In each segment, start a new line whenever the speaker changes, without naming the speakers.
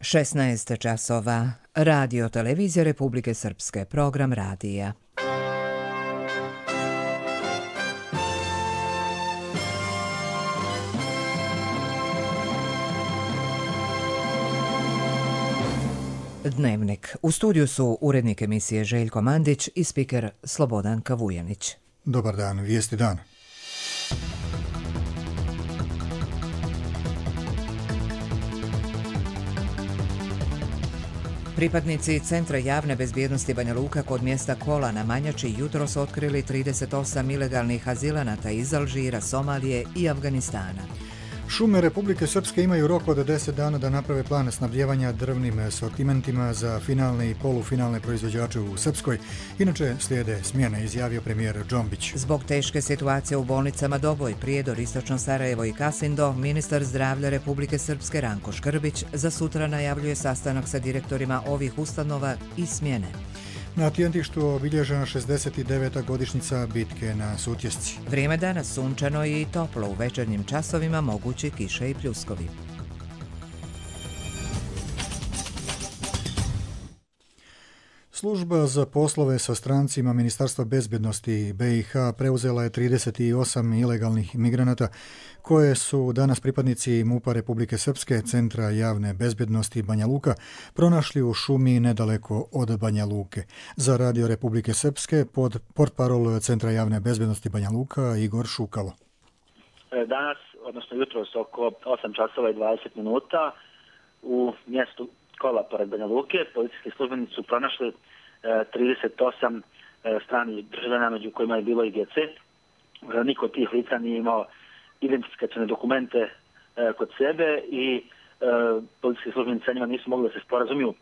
16 časova. Radio Televizija Republike Srpske. Program radija. Dnevnik. U studiju su urednik emisije Željko Mandić i spiker Slobodan Kavujanić.
Dobar dan, vijesti dan.
Pripadnici Centra javne bezbjednosti Banja Luka kod mjesta Kola na Manjači jutros otkrili 38 ilegalnih azilanata iz Alžira, Somalije i Afganistana.
Šume Republike Srpske imaju rok od 10 dana da naprave plan snabdijevanja drvnim sortimentima za finalne i polufinalne proizvođače u Srpskoj. Inače slijede smjene, izjavio premijer Džombić.
Zbog teške situacije u bolnicama Doboj, Prijedor, Istočno Sarajevo i Kasindo, ministar zdravlja Republike Srpske Ranko Škrbić za sutra najavljuje sastanak sa direktorima ovih ustanova i smjene.
Na Tjentištu obilježena 69. godišnjica bitke na Sutjesci.
Vrijeme danas sunčano i toplo, u večernjim časovima mogući kiše i pljuskovi.
Služba za poslove sa strancima Ministarstva bezbjednosti BiH preuzela je 38 ilegalnih migranata koje su danas pripadnici MUP-a Republike Srpske, Centra javne bezbjednosti Banja Luka, pronašli u šumi nedaleko od Banja Luke. Za Radio Republike Srpske portparol Centra javne bezbjednosti Banja Luka Igor Šukalo.
Danas, odnosno jutros oko 8 časova i 20 minuta u mjestu Kola pored Banja Luke policijski službenici su pronašli 38 stranih državljana, među kojima je bilo i djece. Niko od tih lica nije imao identifikacione dokumente kod sebe i policijski službenici sa njima nisu mogli da se sporazumiju.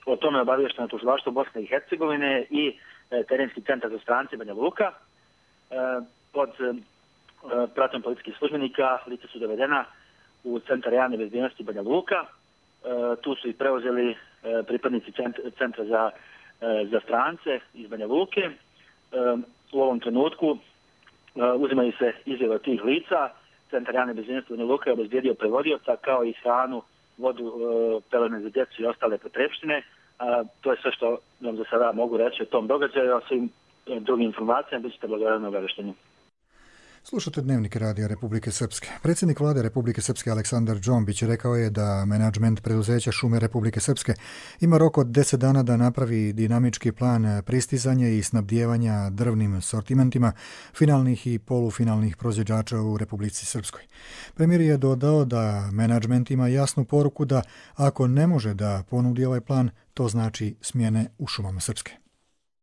O tome je obaviješteno tužilaštvo Bosne i Hercegovine i terenski centar za strance Banja Luka. Pod pratom policijskih službenika lica su dovedena u Centar javne bezbjednosti Banja Luka. Tu su i preuzeli pripadnici Centra za strance iz Banja Luke. U ovom trenutku uzimaju se izjave od tih lica. Centar javne bezbjednosti Banja Luka je obezbijedio prevodioca kao i hranu, vodu, pelene za djecu i ostale potrepštine. To je sve što vam za sada mogu reći o tom događaju, a svim drugim informacijama bit ćete blagovremeno obavešteni.
Slušate Dnevnik Radija Republike Srpske. Predsjednik vlade Republike Srpske Aleksandar Džombić rekao je da menadžment preduzeća Šume Republike Srpske ima rok od 10 dana da napravi dinamički plan pristizanja i snabdijevanja drvnim sortimentima finalnih i polufinalnih proizvođača u Republici Srpskoj. Premijer je dodao da menadžment ima jasnu poruku da ako ne može da ponudi ovaj plan, to znači smjene u Šumama Srpske.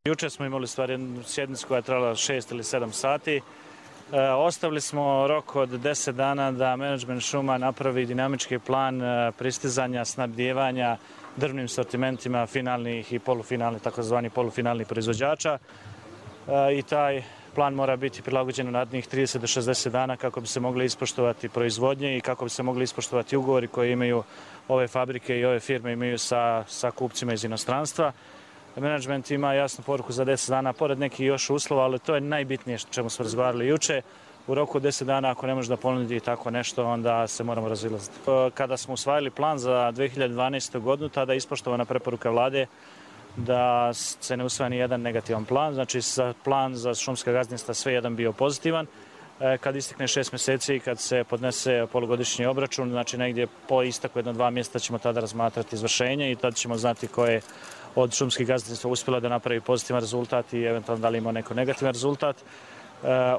Juče smo imali jednu sjednicu koja je trajala 6 ili 7 sati. Ostavili smo rok od 10 dana da menadžment šuma napravi dinamički plan pristizanja, snabdijevanja drvnim sortimentima finalnih i polufinalnih, takozvani polufinalnih proizvođača. I taj plan mora biti prilagođen u narednih 30 do 60 dana kako bi se mogli ispoštovati proizvodnje i kako bi se mogli ispoštovati ugovori koje imaju ove fabrike i ove firme imaju sa kupcima iz inostranstva. Menadžment ima jasnu poruku za 10 dana, pored nekih još uslova, ali to je najbitnije što ćemo smo razgovarali juče. U roku 10 dana, ako ne može da ponudi tako nešto, onda se moramo razilaziti. Kada smo usvajali plan za 2012. godinu, tada je ispoštovana preporuka vlade da se ne usvaja ni jedan negativan plan. Znači, plan za šumska gazdinstva sve jedan bio pozitivan. Kad istekne 6 mjeseci i kad se podnese polugodišnji obračun, znači negdje po isteku 1-2 mjeseca ćemo tada razmatrati izvršenje i tada ćemo znati ko je od šumskih gazdinstva uspjela da napravi pozitivan rezultat i eventualno da li ima neko negativan rezultat.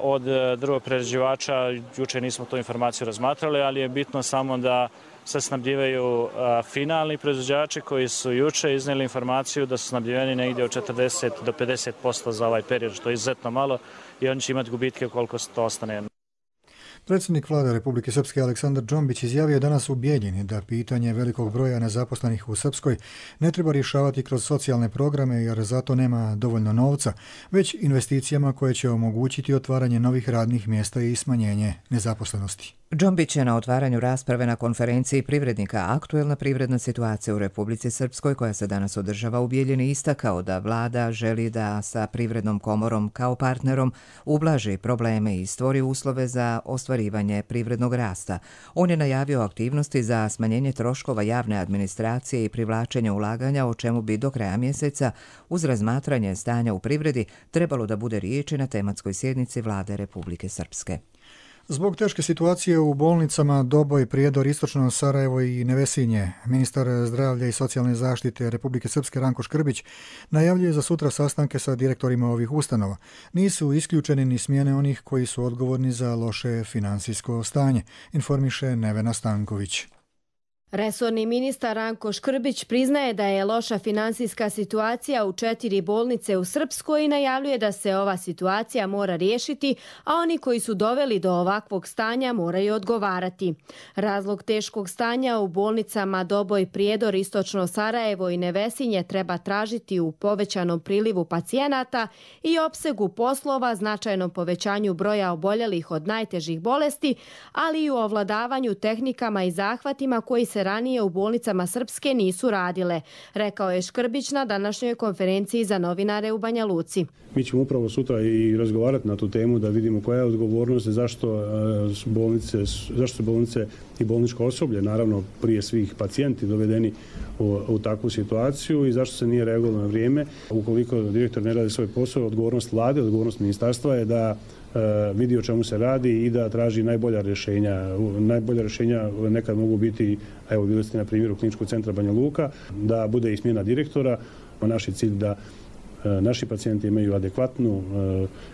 Od drvoprerađivača juče nismo tu informaciju razmatrali, ali je bitno samo da se snabdijevaju finalni proizvođači koji su juče iznijeli informaciju da su snabdijeveni negdje od 40 do 50% za ovaj period, što je izuzetno malo i oni će imati gubitke koliko to ostane.
Predsjednik vlade Republike Srpske Aleksandar Džombić izjavio je danas u Bijeljini da pitanje velikog broja nezaposlenih u Srpskoj ne treba rješavati kroz socijalne programe jer zato nema dovoljno novca, već investicijama koje će omogućiti otvaranje novih radnih mjesta i smanjenje nezaposlenosti.
Džombić je na otvaranju rasprave na konferenciji privrednika Aktuelna privredna situacija u Republici Srpskoj koja se danas održava u Bijeljini istakao da vlada želi da sa Privrednom komorom kao partnerom ublaži probleme i stvori uslove za ostvarivanje ostvarivanje privrednog rasta. On je najavio aktivnosti za smanjenje troškova javne administracije i privlačenje ulaganja, o čemu bi do kraja mjeseca, uz razmatranje stanja u privredi, trebalo da bude riječi na tematskoj sjednici Vlade Republike Srpske.
Zbog teške situacije u bolnicama Doboj, Prijedor, Istočno Sarajevo i Nevesinje, ministar zdravlja i socijalne zaštite Republike Srpske Ranko Škrbić najavljuje za sutra sastanke sa direktorima ovih ustanova. Nisu isključeni ni smjene onih koji su odgovorni za loše finansijsko stanje, informiše Nevena Stanković.
Resorni ministar Ranko Škrbić priznaje da je loša finansijska situacija u 4 bolnice u Srpskoj i najavljuje da se ova situacija mora riješiti, a oni koji su doveli do ovakvog stanja moraju odgovarati. Razlog teškog stanja u bolnicama Doboj, Prijedor, Istočno Sarajevo i Nevesinje treba tražiti u povećanom prilivu pacijenata i opsegu poslova, značajnom povećanju broja oboljelih od najtežih bolesti, ali i u ovladavanju tehnikama i zahvatima koji se ranije u bolnicama Srpske nisu radile, rekao je Škrbić na današnjoj konferenciji za novinare u Banja Luci.
Mi ćemo upravo sutra i razgovarati na tu temu da vidimo koja je odgovornost i zašto su bolnice i bolničko osoblje, naravno prije svih pacijenti, dovedeni u takvu situaciju i zašto se nije reagovalo na vrijeme. Ukoliko direktor ne radi svoj posao, odgovornost vlade, odgovornost ministarstva je da vidi o čemu se radi i da traži najbolja rješenja. Najbolja rješenja nekad mogu biti, evo bili ste na primjeru Kliničkog centra Banja Luka, da bude i smjena direktora. Naš je cilj da naši pacijenti imaju adekvatnu,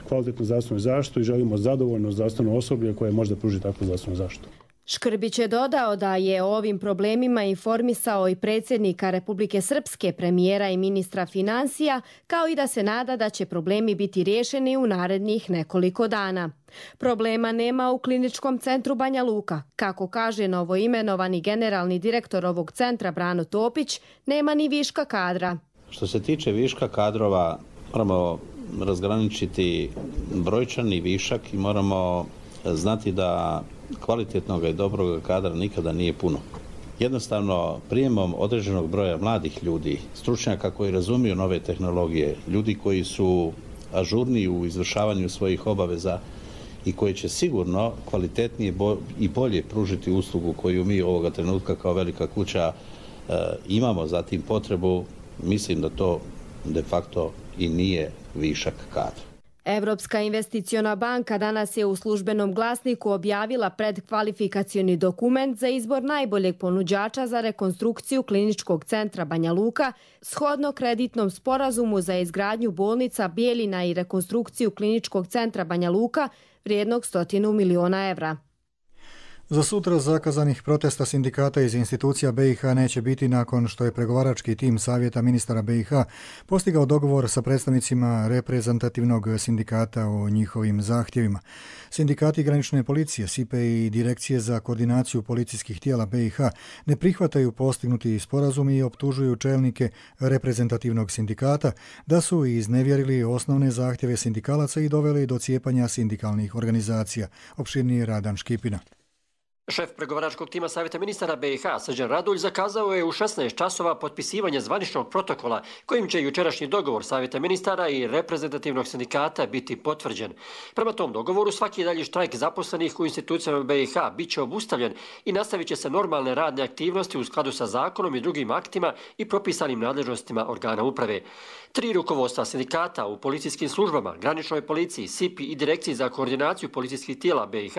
kvalitetnu zdravstvenu zaštitu i želimo zadovoljno zdravstveno osoblje koje može da pruži takvu zdravstvenu zaštitu.
Škrbić je dodao da je o ovim problemima informisao i predsjednika Republike Srpske, premijera i ministra financija, kao i da se nada da će problemi biti riješeni u narednih nekoliko dana. Problema nema u Kliničkom centru Banja Luka. Kako kaže novoimenovani generalni direktor ovog centra Brano Topić, nema ni viška kadra.
Što se tiče viška kadrova, moramo razgraničiti brojčani višak i moramo znati da kvalitetnog i dobrog kadra nikada nije puno. Jednostavno, prijemom određenog broja mladih ljudi, stručnjaka koji razumiju nove tehnologije, ljudi koji su ažurniji u izvršavanju svojih obaveza i koji će sigurno kvalitetnije i bolje pružiti uslugu koju mi ovoga trenutka kao velika kuća imamo za tim potrebu, mislim da to de facto i nije višak kadra.
Evropska investiciona banka danas je u službenom glasniku objavila predkvalifikacioni dokument za izbor najboljeg ponuđača za rekonstrukciju Kliničkog centra Banja Luka, shodno kreditnom sporazumu za izgradnju bolnica Bijeljina i rekonstrukciju Kliničkog centra Banja Luka vrijednog 100 miliona evra.
Za sutra zakazanih protesta sindikata iz institucija BiH neće biti nakon što je pregovarački tim Savjeta ministara BiH postigao dogovor sa predstavnicima reprezentativnog sindikata o njihovim zahtjevima. Sindikati granične policije, SIPE i Direkcije za koordinaciju policijskih tijela BiH ne prihvataju postignuti sporazum i optužuju čelnike reprezentativnog sindikata da su iznevjerili osnovne zahtjeve sindikalaca i doveli do cijepanja sindikalnih organizacija. Opširniji Radan Škipina.
Šef pregovaračkog tima Savjeta ministara BiH, Srđan Radulj, zakazao je u 16 časova potpisivanje zvaničnog protokola kojim će jučerašnji dogovor Savjeta ministara i reprezentativnog sindikata biti potvrđen. Prema tom dogovoru svaki dalji štrajk zaposlenih u institucijama BiH bit će obustavljen i nastavit će se normalne radne aktivnosti u skladu sa zakonom i drugim aktima i propisanim nadležnostima organa uprave. 3 rukovodstva sindikata u policijskim službama, graničnoj policiji, SIPI i Direkciji za koordinaciju policijskih tijela BiH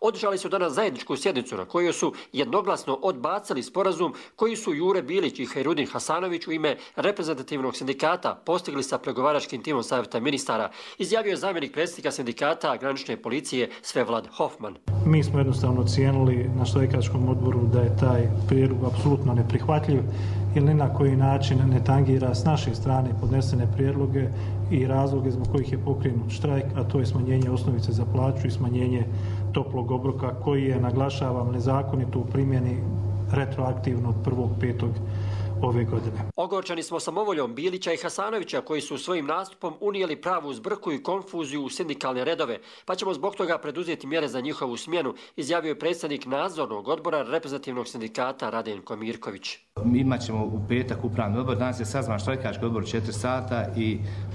održali su danas zajedničku sjednicu na kojoj su jednoglasno odbacili sporazum koji su Jure Bilić i Hajrudin Hasanović u ime reprezentativnog sindikata postigli sa pregovaračkim timom Savjeta ministara, izjavio je zamjenik predsjednika sindikata granične policije Svevlad Hoffman.
Mi smo jednostavno ocijenili na štrajkačkom odboru da je taj prijedlog apsolutno neprihvatljiv ili ni na koji način ne tangira s naše strane podnesene prijedloge i razloge zbog kojih je pokrenut štrajk, a to je smanjenje osnovice za plaću i smanjenje toplog obroka koji je, naglašavam, nezakonito u primjeni retroaktivno od 1.5. ove godine.
Ogorčani smo samovoljom Bilića i Hasanovića koji su svojim nastupom unijeli pravu zbrku i konfuziju u sindikalne redove, pa ćemo zbog toga preduzeti mjere za njihovu smjenu, izjavio je predsjednik nadzornog odbora reprezentativnog sindikata Radenko Mirković.
Imat ćemo u petak upravni odbor, danas je sazvan štrajkački odbor 4 sata,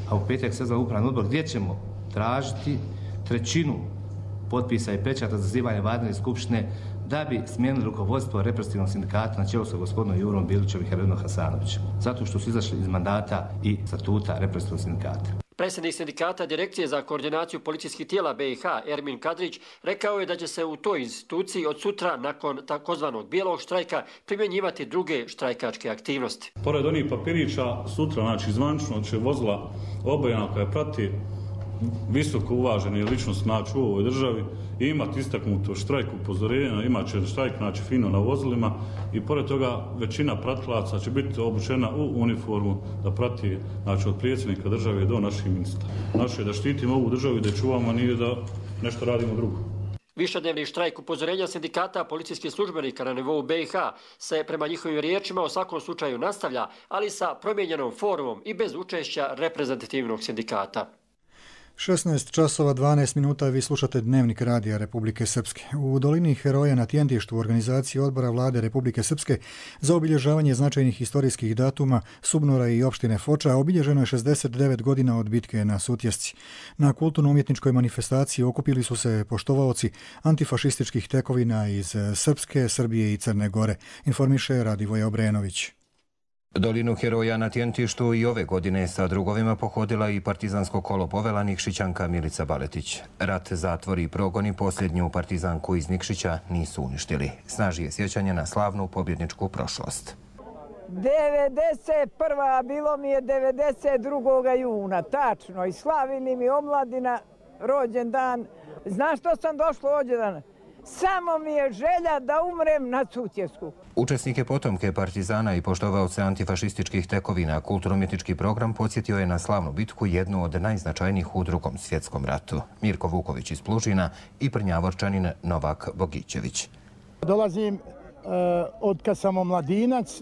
a u petak sazvan upravni odbor gdje ćemo tražiti 1/3 potpisa i pečata za zazivanje vanredne skupštine da bi smijenili rukovodstvo represivnog sindikata na čelu sa gospodinom Jurom Bilićem i Herodinom Hasanovićem, zato što su izašli iz mandata i statuta represivnog sindikata.
Predsjednik sindikata Direkcije za koordinaciju policijskih tijela BiH, Ermin Kadrić, rekao je da će se u toj instituciji od sutra, nakon takozvanog bijelog štrajka, primjenjivati druge štrajkačke aktivnosti.
Pored onih papirića, sutra, znači zvanično će vozila obojena koja prati visoko uvaženi ličnost u ovoj državi i imati istaknuto štrajk upozorenja, imat će štrajk fino na vozilima i pored toga većina pratilaca će biti obučena u uniformu da prati od predsjednika države do naših ministara. Naše je da štitimo ovu državu i da čuvamo, a nije da nešto radimo drugo.
Višednevni štrajk upozorenja sindikata policijskih službenika na nivou BiH se prema njihovim riječima u svakom slučaju nastavlja, ali sa promijenjenom formom i bez učešća reprezentativnog sindikata.
16 časova 12 minuta vi slušate Dnevnik radija Republike Srpske. U dolini Heroja na Tjentištu u organizaciji odbora vlade Republike Srpske za obilježavanje značajnih historijskih datuma Subnora i opštine Foča obilježeno je 69 godina od bitke na Sutjesci. Na kulturno-umjetničkoj manifestaciji okupili su se poštovaoci antifašističkih tekovina iz Srpske, Srbije i Crne Gore, informiše Radivoje Obrenović.
Dolinu Heroja na Tjentištu i ove godine sa drugovima pohodila i partizansko kolo povela Nikšićanka Milica Baletić. Rat, zatvori i progoni posljednju partizanku iz Nikšića nisu uništili. Snaži je sjećanje na slavnu pobjedničku prošlost.
91. bilo mi je 92. juna, tačno, i slavili mi omladina rođendan. Znaš što sam došla ovdje danas? Samo mi je želja da umrem na Sutjesku.
Učesnike potomke partizana i poštovaoce antifašističkih tekovina kulturno-umjetnički program podsjetio je na slavnu bitku, jednu od najznačajnijih u Drugom svjetskom ratu. Mirko Vuković iz Plužina i Prnjavorčanin Novak Bogićević.
Dolazim od kad sam omladinac,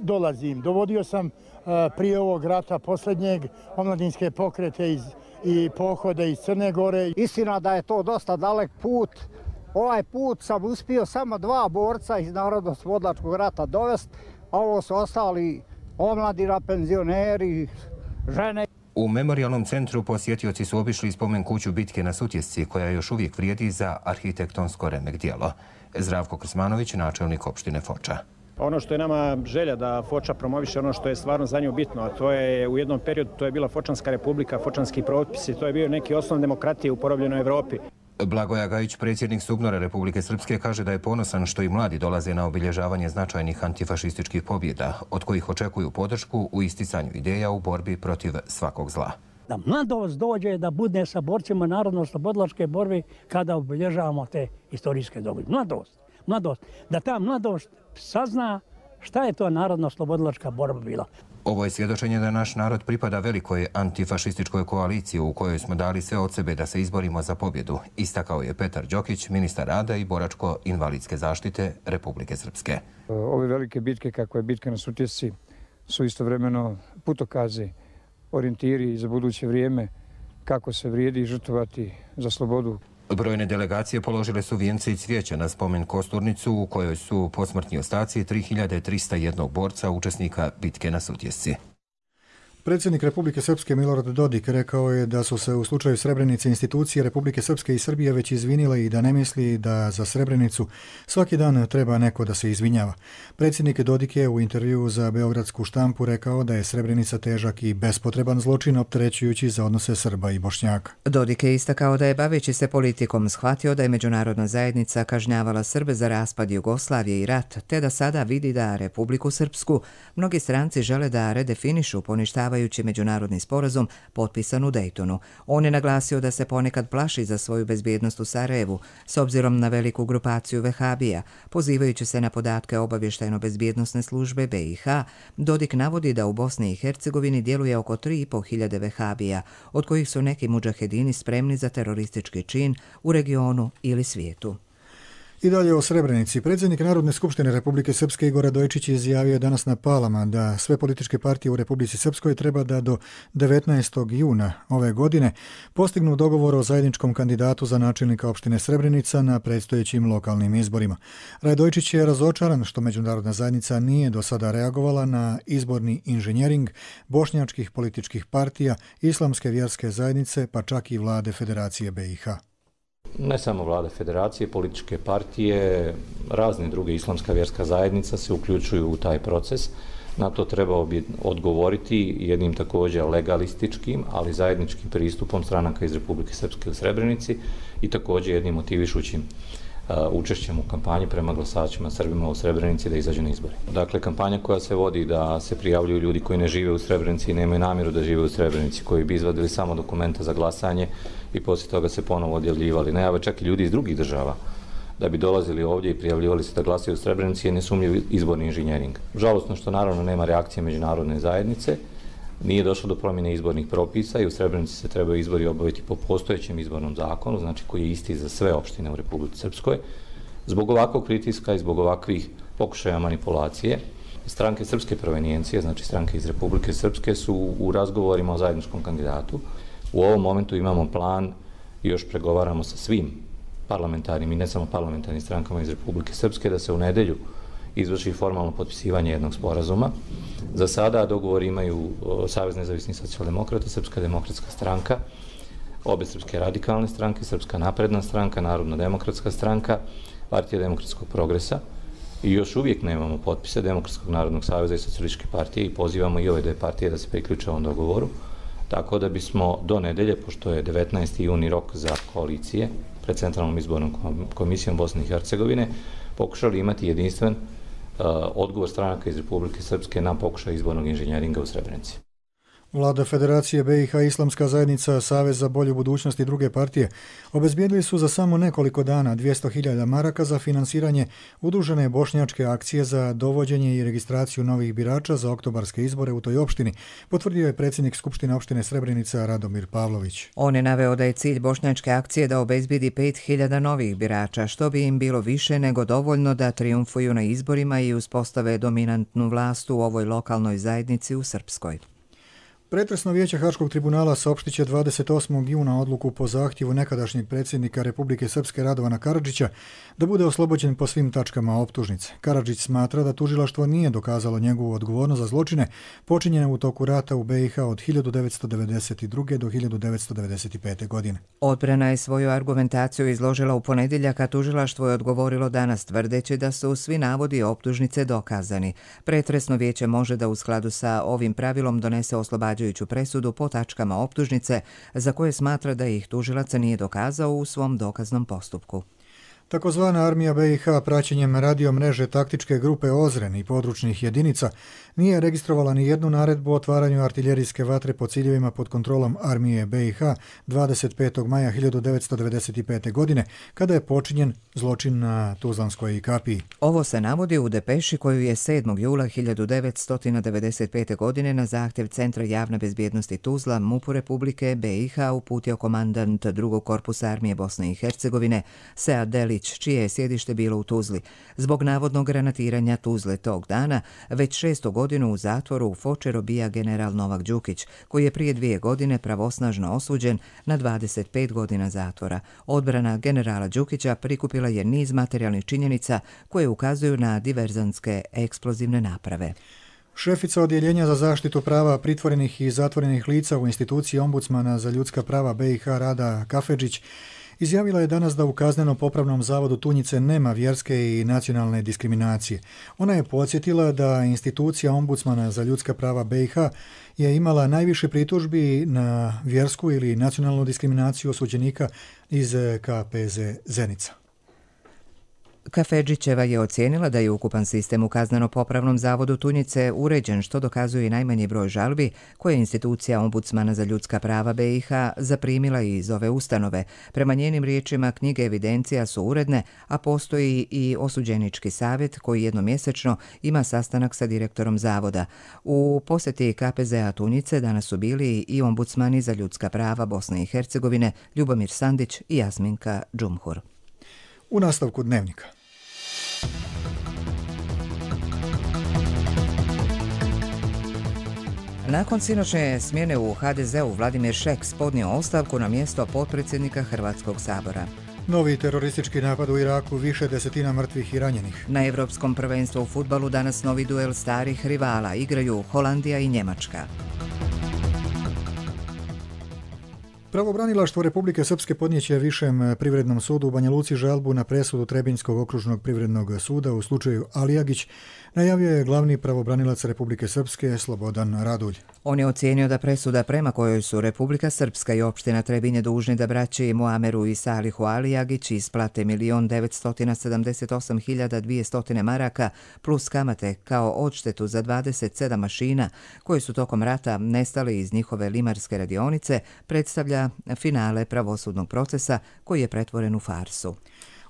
dovodio sam prije ovog rata posljednjeg omladinske pokrete i pohode iz Crne Gore.
Istina da je to dosta dalek put. Ovaj put sam uspio samo 2 borca iz Narodnooslobodilačkog rata dovesti, a ovo su ostali omladina, penzioneri, žene.
U memorijalnom centru posjetioci su obišli spomen kuću bitke na Sutjesci, koja još uvijek vrijedi za arhitektonsko remek djelo. Zdravko Krsmanović, načelnik opštine Foča.
Ono što je nama želja da Foča promoviše ono što je stvarno za nju bitno, a to je u jednom periodu to je bila Fočanska republika, fočanski propisi, to je bio neki osnov demokratije u porobljenoj Evropi.
Blagoja Gajić, predsjednik Subnora Republike Srpske, kaže da je ponosan što i mladi dolaze na obilježavanje značajnih antifašističkih pobjeda, od kojih očekuju podršku u isticanju ideja u borbi protiv svakog zla.
Da mladost dođe da bude sa borcima narodno-oslobodilačke borbe kada obilježavamo te istorijske događaje. Mladost. Da ta mladost sazna šta je to narodno-oslobodilačka borba bila.
Ovo je svjedočenje da naš narod pripada velikoj antifašističkoj koaliciji u kojoj smo dali sve od sebe da se izborimo za pobjedu, istakao je Petar Đokić, ministar rada i boračko-invalidske zaštite Republike Srpske.
Ove velike bitke, kako je bitka na Sutjesci, su istovremeno putokazi, orijentiri za buduće vrijeme, kako se vrijedi žrtvovati za slobodu.
Brojne delegacije položile su vijence i cvijeća na spomen kosturnicu u kojoj su posmrtni ostaci 3301 borca učesnika bitke na Sutjesci.
Predsjednik Republike Srpske Milorad Dodik rekao je da su se u slučaju Srebrenice institucije Republike Srpske i Srbije već izvinile i da ne misli da za Srebrenicu svaki dan treba neko da se izvinjava. Predsjednik Dodik je u intervjuu za beogradsku štampu rekao da je Srebrenica težak i bespotreban zločin opterećujući za odnose Srba i Bošnjaka.
Dodik je istakao da je baveći se politikom shvatio da je međunarodna zajednica kažnjavala Srbe za raspad Jugoslavije i rat, te da sada vidi da Republiku Srpsku mnogi stranci žele da redefinišu poništavaju međunarodni sporazum potpisan u Dejtonu. On je naglasio da se ponekad plaši za svoju bezbjednost u Sarajevu s obzirom na veliku grupaciju vehabija. Pozivajući se na podatke obavještajno-bezbjednosne službe BiH, Dodik navodi da u Bosni i Hercegovini djeluje oko 3.500 vehabija, od kojih su neki mudžahedini spremni za teroristički čin u regionu ili svijetu.
I dalje o Srebrenici. Predsjednik Narodne skupštine Republike Srpske Igor Radojičić izjavio danas na Palama da sve političke partije u Republici Srpskoj treba da do 19. juna ove godine postignu dogovor o zajedničkom kandidatu za načelnika opštine Srebrenica na predstojećim lokalnim izborima. Radojičić je razočaran što međunarodna zajednica nije do sada reagovala na izborni inženjering bošnjačkih političkih partija, islamske vjerske zajednice, pa čak i vlade Federacije BiH.
Ne samo vlada federacije, političke partije, razne druge islamska vjerska zajednica se uključuju u taj proces. Na to trebao bi odgovoriti jednim također legalističkim, ali zajedničkim pristupom stranaka iz Republike Srpske u Srebrenici i također jednim motivišućim učešćem u kampanji prema glasačima Srbima u Srebrenici da izađu na izbore. Dakle, kampanja koja se vodi da se prijavljuju ljudi koji ne žive u Srebrenici i nemaju namjeru da žive u Srebrenici, koji bi izvadili samo dokumenta za glasanje i poslije toga se ponovo odjavljivali. Najave čak i ljudi iz drugih država da bi dolazili ovdje i prijavljivali se da glasaju u Srebrenici je nesumnjiv izborni inženjering. Žalosno što naravno nema reakcije međunarodne zajednice, nije došlo do promjene izbornih propisa i u Srebrenici se trebaju izbori obaviti po postojećem izbornom zakonu, znači koji je isti za sve opštine u Republici Srpskoj. Zbog ovakvog pritiska i zbog ovakvih pokušaja manipulacije, stranke srpske provenijencije, znači stranke iz Republike Srpske, su u razgovorima o zajedničkom kandidatu. U ovom momentu imamo plan i još pregovaramo sa svim parlamentarnim i ne samo parlamentarnim strankama iz Republike Srpske da se u nedelju izvrši formalno potpisivanje jednog sporazuma. Za sada dogovor imaju Savez nezavisnih socijaldemokrata, Srpska demokratska stranka, obe srpske radikalne stranke, Srpska napredna stranka, Narodna demokratska stranka, Partija demokratskog progresa i još uvijek nemamo potpise Demokratskog narodnog saveza i Socijalističke partije i pozivamo i ove dve partije da se priključe ovom dogovoru. Tako da bismo do nedelje, pošto je 19. juni rok za koalicije pred Centralnom izbornom komisijom Bosne i Hercegovine, pokušali imati jedinstven odgovor stranaka iz Republike Srpske na pokušaj izbornog inženjeringa u Srebrenici.
Vlada Federacije BiH, Islamska zajednica, Savez za bolju budućnost i druge partije obezbijedili su za samo nekoliko dana 200.000 maraka za finansiranje udružene bošnjačke akcije za dovođenje i registraciju novih birača za oktobarske izbore u toj opštini, potvrdio je predsjednik Skupštine opštine Srebrenica Radomir Pavlović.
On je naveo da je cilj bošnjačke akcije da obezbijedi 5.000 novih birača, što bi im bilo više nego dovoljno da triumfuju na izborima i uspostave dominantnu vlast u ovoj lokalnoj zajednici u Srpskoj.
Pretresno vijeće Haškog tribunala saopštit će 28. juna odluku po zahtjevu nekadašnjeg predsjednika Republike Srpske Radovana Karadžića da bude oslobođen po svim tačkama optužnice. Karadžić smatra da tužilaštvo nije dokazalo njegovu odgovornost za zločine počinjene u toku rata u BiH od 1992. do 1995. godine.
Odbrana je svoju argumentaciju izložila u ponedjeljak, a tužilaštvo je odgovorilo danas tvrdeći da su svi navodi optužnice dokazani. Pretresno vijeće može da u skladu sa ovim pravilom donese oslobađajuću presudu po tačkama optužnice za koje smatra da ih tužilac nije dokazao u svom dokaznom postupku.
Takozvana armija BiH praćenjem radio mreže taktičke grupe Ozren i područnih jedinica nije registrovala ni jednu naredbu o otvaranju artiljerijske vatre po ciljevima pod kontrolom armije BiH 25. maja 1995. godine, kada je počinjen zločin na Tuzlanskoj kapiji.
Ovo se navodi u depeši koju je 7. jula 1995. godine na zahtjev Centra javne bezbjednosti Tuzla MUP-u Republike BiH uputio komandant drugog korpusa armije Bosne i Hercegovine Sead Delić, čije je sjedište bilo u Tuzli. Zbog navodnog granatiranja Tuzle tog dana, već 6. godinu u zatvoru u Foče robija general Novak Đukić, koji je prije 2 godine pravosnažno osuđen na 25 godina zatvora. Odbrana generala Đukića prikupila je niz materijalnih činjenica koje ukazuju na diverzantske eksplozivne naprave.
Šefica Odjeljenja za zaštitu prava pritvorenih i zatvorenih lica u instituciji ombudsmana za ljudska prava BiH Rada Kafedžić izjavila je danas da u Kazneno-popravnom zavodu Tunjice nema vjerske i nacionalne diskriminacije. Ona je podsjetila da institucija ombudsmana za ljudska prava BiH je imala najviše pritužbi na vjersku ili nacionalnu diskriminaciju osuđenika iz KPZ Zenica.
Kafedžićeva je ocijenila da je ukupan sistem u Kazneno-popravnom zavodu Tunjice uređen, što dokazuje i najmanji broj žalbi koje je institucija ombudsmana za ljudska prava BiH zaprimila iz ove ustanove. Prema njenim riječima, knjige evidencija su uredne, a postoji i osuđenički savjet koji jednomjesečno ima sastanak sa direktorom zavoda. U posjeti KPZ-a Tunjice danas su bili i ombudsmani za ljudska prava Bosne i Hercegovine Ljubomir Sandić i Jasminka Džumhur.
U nastavku dnevnika.
Nakon sinoćne smjene u HDZ-u Vladimir Šeks podnio ostavku na mjesto potpredsjednika Hrvatskog sabora.
Novi teroristički napad u Iraku, više desetina mrtvih i ranjenih.
Na Evropskom prvenstvu u fudbalu danas novi duel starih rivala, igraju Holandija i Njemačka.
Pravobranilaštvo Republike Srpske podnijeće Višem privrednom sudu u Banja Luci žalbu na presudu Trebinjskog okružnog privrednog suda u slučaju Alijagić, najavio je glavni pravobranilac Republike Srpske Slobodan Radulj.
On je ocijenio da presuda prema kojoj su Republika Srpska i opština Trebinje dužni da braći Muameru i Salihu Alijagić isplate 1.978.200 maraka plus kamate kao odštetu za 27 mašina koje su tokom rata nestali iz njihove limarske radionice, predstavlja finale pravosudnog procesa koji je pretvoren u farsu.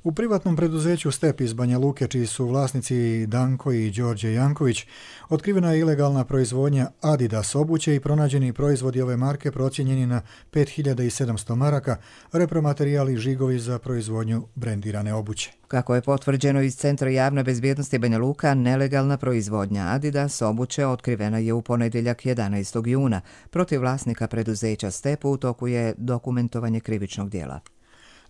U privatnom preduzeću Step iz Banja Luke, čiji su vlasnici Danko i Đorđe Janković, otkrivena je ilegalna proizvodnja Adidas obuće i pronađeni proizvodi ove marke procijenjeni na 5.700 maraka, repromaterijali i žigovi za proizvodnju brendirane obuće.
Kako je potvrđeno iz Centra javne bezbjednosti Banja Luka, nelegalna proizvodnja Adidas obuće otkrivena je u ponedjeljak 11. juna. Protiv vlasnika preduzeća Step u toku je dokumentovanje krivičnog djela.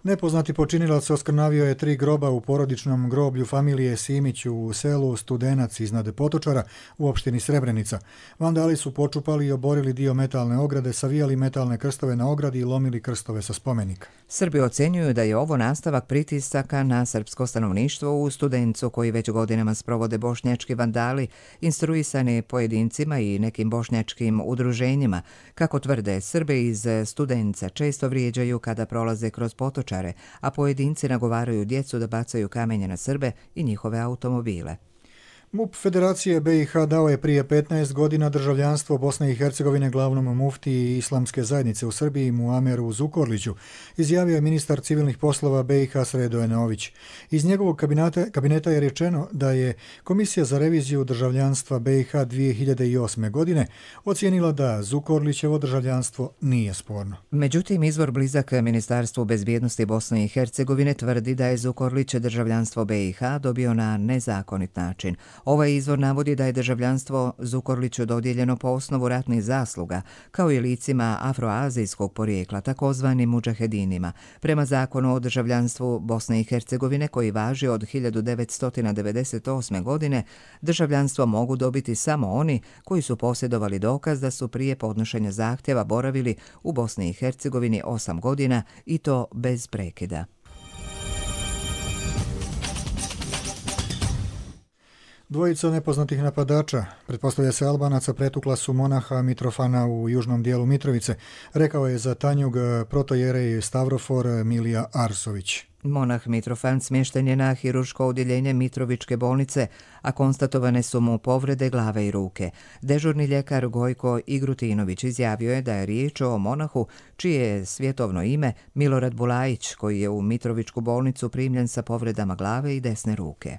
Nepoznati počinilac oskrnavio je 3 groba u porodičnom groblju familije Simić u selu Studenac iznad Potočara u opštini Srebrenica. Vandali su počupali i oborili dio metalne ograde, savijali metalne krstove na ogradi i lomili krstove sa spomenika.
Srbi ocjenjuju da je ovo nastavak pritisaka na srpsko stanovništvo u Studencu koji već godinama sprovode bošnjački vandali, instruisani pojedincima i nekim bošnjačkim udruženjima. Kako tvrde, Srbe iz Studenca često vrijeđaju kada prolaze kroz Potočar, a pojedinci nagovaraju djecu da bacaju kamenje na Srbe i njihove automobile.
MUP Federacije BiH dao je prije 15 godina državljanstvo Bosne i Hercegovine glavnom muftiji Islamske zajednice u Srbiji Muameru Zukorliću, izjavio je ministar civilnih poslova BiH Sredo Enović. Iz njegovog kabineta je rečeno da je Komisija za reviziju državljanstva BiH 2008. godine ocijenila da Zukorlićevo državljanstvo nije sporno.
Međutim, izvor blizak Ministarstvu bezbjednosti Bosne i Hercegovine tvrdi da je Zukorlić državljanstvo BiH dobio na nezakonit način. Ovaj izvor navodi da je državljanstvo Zukorliću dodijeljeno po osnovu ratnih zasluga, kao i licima afroazijskog porijekla, takozvanim mudžahedinima. Prema zakonu o državljanstvu Bosne i Hercegovine, koji važi od 1998. godine, državljanstvo mogu dobiti samo oni koji su posjedovali dokaz da su prije podnošenja zahtjeva boravili u Bosni i Hercegovini 8 godina i to bez prekida.
Dvojica nepoznatih napadača, pretpostavlja se Albanaca, pretukla su monaha Mitrofana u južnom dijelu Mitrovice, rekao je za Tanjug protojerej Stavrofor Milija Arsović.
Monah Mitrofan smješten je na hirurško odjeljenje Mitrovičke bolnice, a konstatovane su mu povrede glave i ruke. Dežurni ljekar Gojko Igrutinović izjavio je da je riječ o monahu čije je svjetovno ime Milorad Bulajić, koji je u Mitrovičku bolnicu primljen sa povredama glave i desne ruke.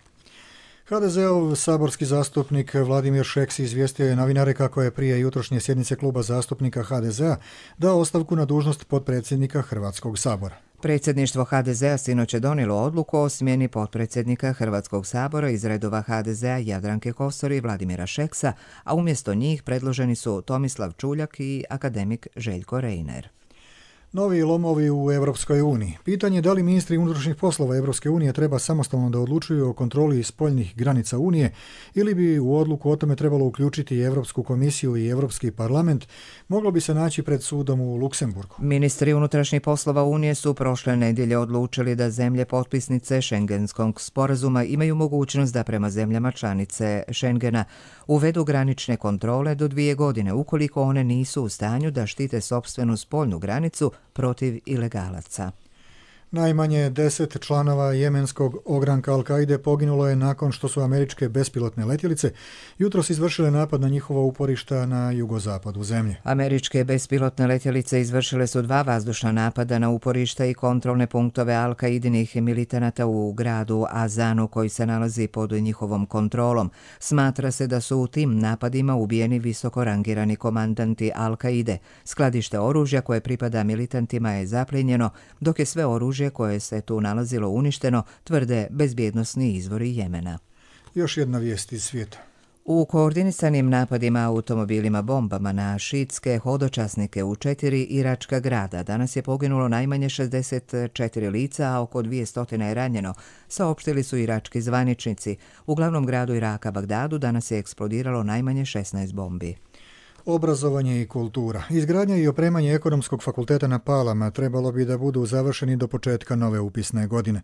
HDZ-ov saborski zastupnik Vladimir Šeks izvijestio je novinare kako je prije jutrošnje sjednice kluba zastupnika HDZ-a dao ostavku na dužnost potpredsjednika Hrvatskog sabora.
Predsjedništvo HDZ-a sinoć je donijelo odluku o smjeni potpredsjednika Hrvatskog sabora iz redova HDZ-a Jadranke Kosor i Vladimira Šeksa, a umjesto njih predloženi su Tomislav Čuljak i akademik Željko Reiner.
Novi lomovi u Europskoj uniji. Pitanje je da li ministri unutrašnjih poslova Europske unije treba samostalno da odlučuju o kontroli spoljnih granica Unije ili bi u odluku o tome trebalo uključiti i Europsku komisiju i Europski parlament, moglo bi se naći pred sudom u Luksemburgu.
Ministri unutrašnjih poslova Unije su prošle nedjelje odlučili da zemlje potpisnice Schengenskog sporazuma imaju mogućnost da prema zemljama članice Schengena uvedu granične kontrole do 2 godine ukoliko one nisu u stanju da štite sopstvenu spoljnu granicu protiv ilegalaca.
Najmanje 10 članova jemenskog ogranka Al-Kaide poginulo je nakon što su američke bespilotne letjelice jutros izvršile napad na njihova uporišta na jugozapadu zemlje.
Američke bespilotne letjelice izvršile su 2 vazdušna napada na uporišta i kontrolne punktove Al-Kaidinih militanata u gradu Azanu koji se nalazi pod njihovom kontrolom. Smatra se da su u tim napadima ubijeni visoko rangirani komandanti Al-Kaide. Skladište oružja koje pripada militantima je zaplijenjeno, dok je sve oružje koje se tu nalazilo uništeno, tvrde bezbjednosni izvori Jemena.
Još jedna vijest iz svijeta.
U koordinisanim napadima automobilima bombama na šiitske hodočasnike u 4 iračka grada danas je poginulo najmanje 64 lica, a oko 200 je ranjeno, saopštili su irački zvaničnici. U glavnom gradu Iraka, Bagdadu, danas je eksplodiralo najmanje 16 bombi.
Obrazovanje i kultura. Izgradnja i opremanje Ekonomskog fakulteta na Palama trebalo bi da budu završeni do početka nove upisne godine.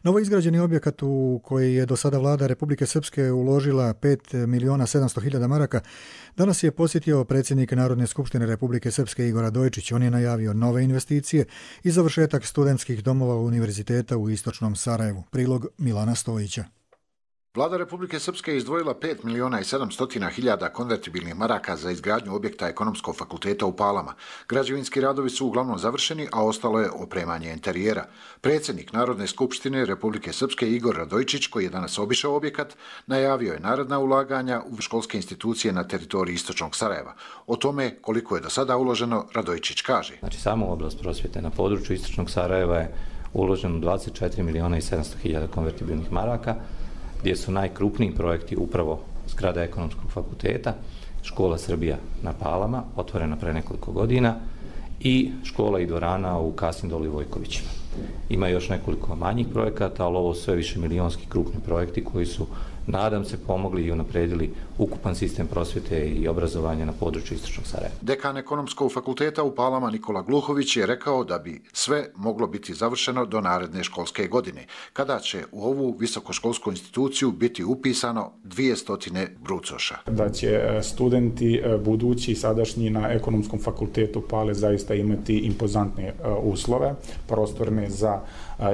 Novo izgrađeni objekat u koji je do sada vlada Republike Srpske uložila 5.700.000 maraka danas je posjetio predsjednik Narodne skupštine Republike Srpske Igor Radojičić. On je najavio nove investicije i završetak studentskih domova univerziteta u istočnom Sarajevu. Prilog Milana Stojića.
Vlada Republike Srpske je izdvojila 5.700.000 konvertibilnih maraka za izgradnju objekta Ekonomskog fakulteta u Palama. Građevinski radovi su uglavnom završeni, a ostalo je opremanje interijera. Predsjednik Narodne skupštine Republike Srpske Igor Radojičić, koji je danas obišao objekat, najavio je naredna ulaganja u školske institucije na teritoriji istočnog Sarajeva. O tome koliko je do sada uloženo, Radojičić kaže.
Znači, samo u oblast prosvjete na području istočnog Sarajeva je uloženo 24.700.000 konvertibilnih maraka, gdje su najkrupniji projekti upravo zgrada Ekonomskog fakulteta, škola Srbija na Palama, otvorena pre nekoliko godina, i škola i dvorana u Kasindolu i Vojkovićima. Ima još nekoliko manjih projekata, ali ovo sve više milijonski krupni projekti koji su, nadam se, pomogli i unapredili ukupan sistem prosvjete i obrazovanja na području istočnog Sarajeva.
Dekan Ekonomskog fakulteta u Palama Nikola Gluhović je rekao da bi sve moglo biti završeno do naredne školske godine, kada će u ovu visokoškolsku instituciju biti upisano 200 brucoša.
Da će studenti budući i sadašnji na Ekonomskom fakultetu Pale zaista imati impozantne uslove, prostorne za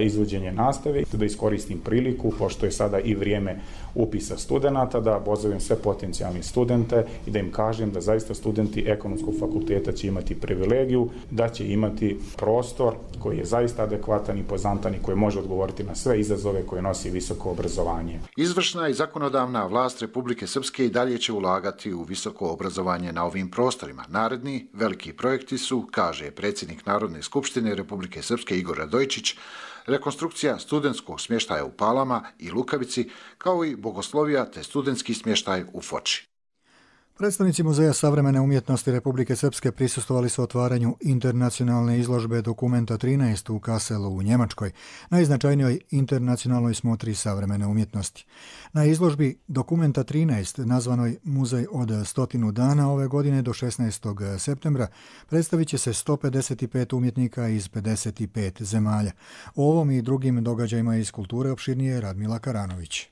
izvođenje nastave. Da iskoristim priliku, pošto je sada i vrijeme upisa studenata, da pozovem sve potencijalne studente i da im kažem da zaista studenti Ekonomskog fakulteta će imati privilegiju, da će imati prostor koji je zaista adekvatan, impozantan i koji može odgovoriti na sve izazove koje nosi visoko obrazovanje.
Izvršna i zakonodavna vlast Republike Srpske i dalje će ulagati u visoko obrazovanje na ovim prostorima. Naredni veliki projekti su, kaže predsjednik Narodne skupštine Republike Srpske Igor Radojičić, rekonstrukcija studentskog smještaja u Palama i Lukavici, kao i bogoslovija te studentski smještaj u Foči.
Predstavnici Muzeja savremene umjetnosti Republike Srpske prisustvovali su otvaranju internacionalne izložbe Dokumenta 13 u Kasselu u Njemačkoj, najznačajnijoj internacionalnoj smotri savremene umjetnosti. Na izložbi Dokumenta 13, nazvanoj Muzej od 100 dana, ove godine do 16. septembra, predstavit će se 155 umjetnika iz 55 zemalja. O ovom i drugim događajima iz kulture opširnije Radmila Karanović.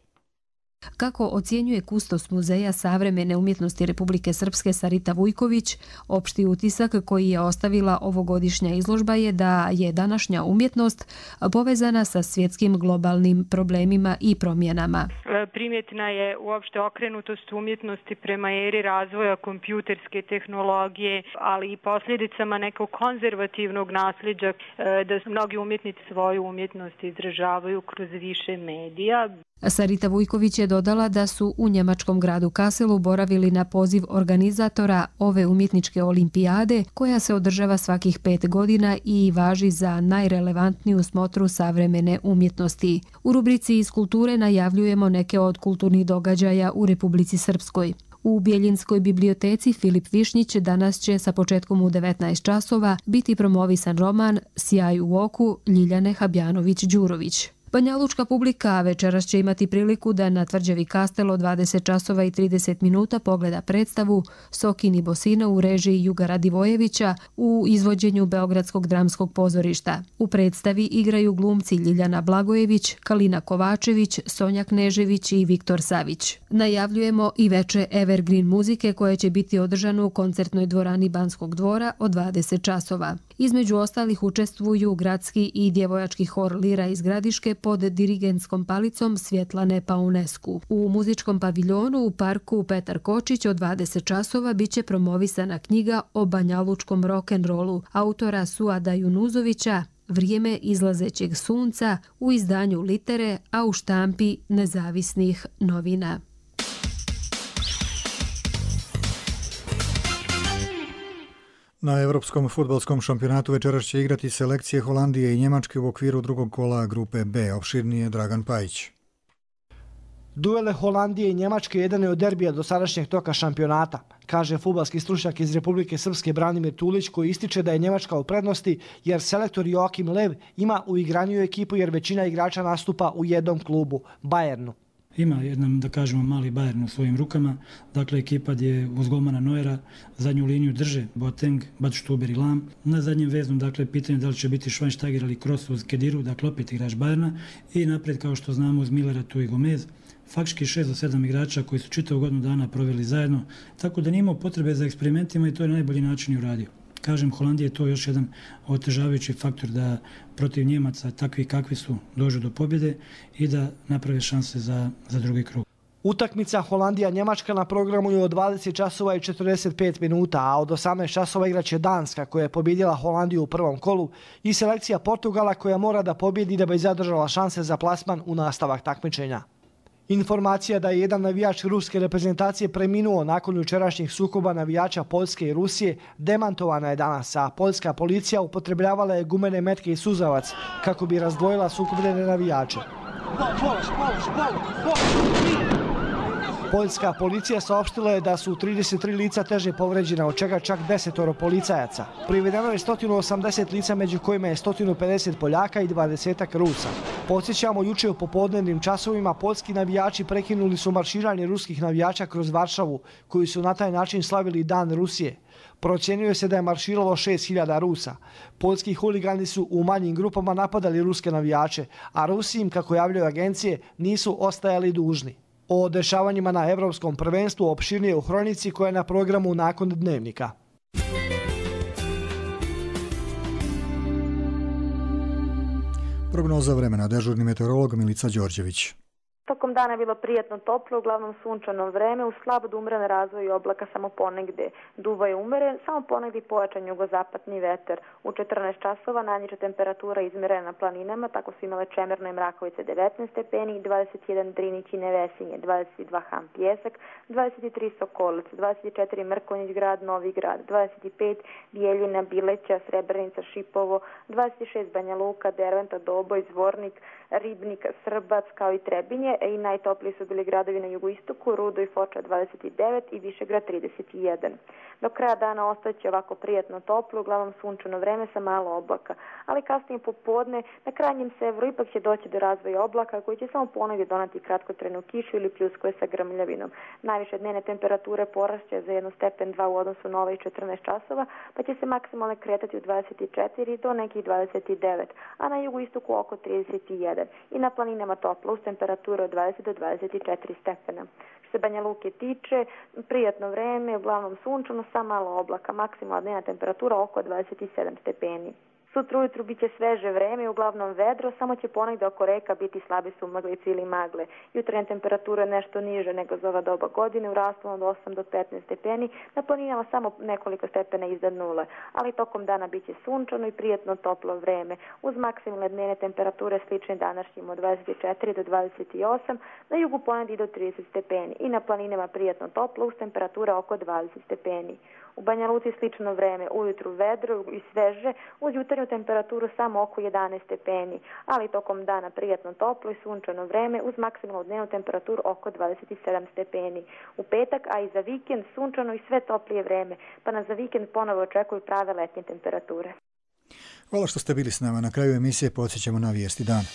Kako ocjenjuje kustos Muzeja savremene umjetnosti Republike Srpske Sarita Vujković, opšti utisak koji je ostavila ovogodišnja izložba je da je današnja umjetnost povezana sa svjetskim globalnim problemima i promjenama.
Primjetna je uopšte okrenutost umjetnosti prema eri razvoja kompjuterske tehnologije, ali i posljedicama nekog konzervativnog nasljeđa, da mnogi umjetnici svoju umjetnost izražavaju kroz više medija.
Sarita Vujković je dodala da su u njemačkom gradu Kasselu boravili na poziv organizatora ove umjetničke olimpijade, koja se održava svakih 5 godina i važi za najrelevantniju smotru savremene umjetnosti. U rubrici iz kulture najavljujemo neke od kulturnih događaja u Republici Srpskoj. U Bjeljinskoj biblioteci Filip Višnjić danas će sa početkom u 19 časova biti promovisan roman Sjaj u oku Ljiljane Habjanović-Đurović. Banjalučka publika večeras će imati priliku da na tvrđavi Kastel od 20 časova i 30 minuta pogleda predstavu Sokin i Bosina u režiji Juga Radivojevića u izvođenju Beogradskog dramskog pozorišta. U predstavi igraju glumci Ljiljana Blagojević, Kalina Kovačević, Sonja Knežević i Viktor Savić. Najavljujemo i veče Evergreen muzike koje će biti održano u koncertnoj dvorani Banskog dvora od 20 časova. Između ostalih učestvuju gradski i djevojački hor Lira iz Gradiške pod dirigentskom palicom Svjetlane Paunesku. U muzičkom paviljonu u parku Petar Kočić od 20 časova biće promovisana knjiga o banjalučkom rock'n'rollu autora Suada Junuzovića Vrijeme izlazećeg sunca u izdanju Litere, a u štampi Nezavisnih novina.
Na Evropskom fudbalskom šampionatu večeras će igrati selekcije Holandije i Njemačke u okviru drugog kola grupe B. Opširnije Dragan Pajić.
Duele Holandije i Njemačke jedan je od derbija do sadašnjeg toka šampionata, kaže fudbalski stručnjak iz Republike Srpske Branimir Tulić, koji ističe da je Njemačka u prednosti jer selektor Joakim Lev ima uigraniju ekipu jer većina igrača nastupa u jednom klubu, Bayernu.
ima jedan, da kažemo, mali Bayern u svojim rukama. Dakle, ekipa gdje uz golmana Neuera zadnju liniju drže Boateng, Badstuber i Lahm. Na zadnjem veznom, dakle, pitanje da li će biti Schweinsteiger ili Kroos uz Kediru, dakle, opet igrač Bayerna. I naprijed, kao što znamo, uz Millera tu i Gomez. Faktički 6 do 7 igrača koji su čitavu godinu dana proveli zajedno, tako da nije imao potrebe za eksperimentima i to je na najbolji način i uradio. Kažem, Holandija je to još jedan otežavajući faktor da protiv Njemaca, takvi kakvi su, dođu do pobjede i da naprave šanse za drugi krug.
Utakmica Holandija-Njemačka na programu je od 20 časova i 45 minuta, a od 18 časova igraće Danska koja je pobjedila Holandiju u prvom kolu i selekcija Portugala koja mora da pobjedi da bi zadržala šanse za plasman u nastavak takmičenja. Informacija da je jedan navijač ruske reprezentacije preminuo nakon jučerašnjih sukoba navijača Poljske i Rusije demantovana je danas, a poljska policija upotrebljavala je gumene metke i suzavac kako bi razdvojila sukobljene navijače. Poljska policija saopštila je da su 33 lica teže povređena, od čega čak 10 policajaca. Privedeno je 180 lica, među kojima je 150 Poljaka i 20 Rusa. Podsjećamo, juče u popodnevnim časovima poljski navijači prekinuli su marširanje ruskih navijača kroz Varšavu, koji su na taj način slavili Dan Rusije. Procjenjuje se da je marširalo 6000 Rusa. Poljski huligani su u manjim grupama napadali ruske navijače, a Rusi im, kako javljaju agencije, nisu ostajali dužni. O dešavanjima na Evropskom prvenstvu opširnije u Hronici koja je na programu nakon Dnevnika.
Prognoza vremena, dežurni meteorolog Milica Đorđević.
Tokom dana je bilo prijatno toplo, uglavnom sunčano vreme, uz slabo do umeren razvoj oblaka samo ponegde. Duva je umeren, samo ponegde pojačan jugozapadni vetar. U 14 časova najniža temperatura izmerena na planinama, tako su imale Čemerno i Mrakovice 19 stepeni, 21 Drinić i Nevesinje, 22 Ham Pjesak, 23 Sokolac, 24 Mrkonjić grad, Novi grad, 25 Bijeljina, Bileća, Srebrenica, Šipovo, 26 Banja Luka, Derventa, Doboj, Zvornik, Ribnik, Srbac kao i Trebinje, i najtopliji su bili gradovi na jugoistoku, Rudo i Foča 29 i Višegrad 31. Do kraja dana ostaće ovako prijatno toplo, uglavnom sunčano vreme sa malo oblaka, ali kasnije popodne na krajnjem severu ipak će doći do razvoja oblaka koji će samo ponegdje donati kratkotrajnu kišu ili pljuskove sa grmljavinom. Najviše dnevne temperature porašće za 1 stepen 2 u odnosu na ovaj 14 časova, pa će se maksimalno kretati u 24 do nekih 29, a na jugoistoku oko 31 i na planinama toplo uz temperaturu od 20 do 24 stepena. Što se Banja Luke tiče, prijatno vreme, uglavnom sunčano sa malo oblaka, maksimalna dnevna temperatura oko 27 stepeni. Sutra ujutru bit će sveže vreme i uglavnom vedro, samo će ponegde oko reka biti slabe sumaglice ili magle. Jutarnja temperatura je nešto niže nego za ova doba godine, u rasponu od 8 do 15 stepeni, na planinama samo nekoliko stepena iznad nule, ali tokom dana bit će sunčano i prijatno toplo vreme, uz maksimalne dnevne temperature slične današnjim od 24 do 28, na jugu ponegdje do 30 stepeni i na planinama prijatno toplo uz temperatura oko 20 stepeni. U Banja Luci slično vreme, ujutru vedro i sveže, uz jutarnju temperaturu samo oko 11 stepeni, ali tokom dana prijatno toplo i sunčano vreme uz maksimalnu dnevnu temperaturu oko 27 stepeni. U petak, a i za vikend, sunčano i sve toplije vreme, pa nas za vikend ponovo očekuju prave letnje temperature.
Hvala što ste bili s nama. Na kraju emisije podsjećamo na vijesti dana.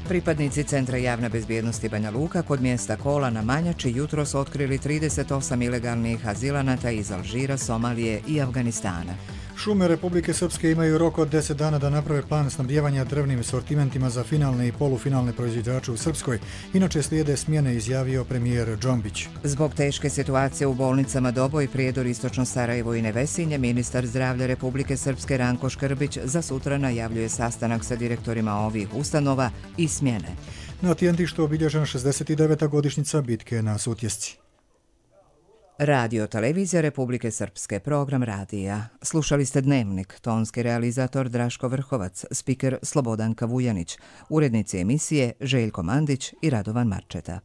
Pripadnici Centra javne bezbjednosti Banja Luka kod mjesta Kola na Manjači jutros otkrili 38 ilegalnih azilanata iz Alžira, Somalije i Afganistana.
Šume Republike Srpske imaju rok od 10 dana da naprave plan snabdijevanja drvnim sortimentima za finalne i polufinalne proizvođače u Srpskoj. Inače slijede smjene, izjavio premijer Džombić.
Zbog teške situacije u bolnicama Doboj, Prijedor, Istočno Sarajevo i Nevesinje, ministar zdravlja Republike Srpske Ranko Škrbić za sutra najavljuje sastanak sa direktorima ovih ustanova i smjene.
Na Tjentištu obilježena 69. godišnjica bitke na Sutjesci.
Radio Televizija Republike Srpske, program radija. Slušali ste Dnevnik, tonski realizator Draško Vrhovac, spiker Slobodanka Vujanić, urednici emisije Željko Mandić i Radovan Marčeta.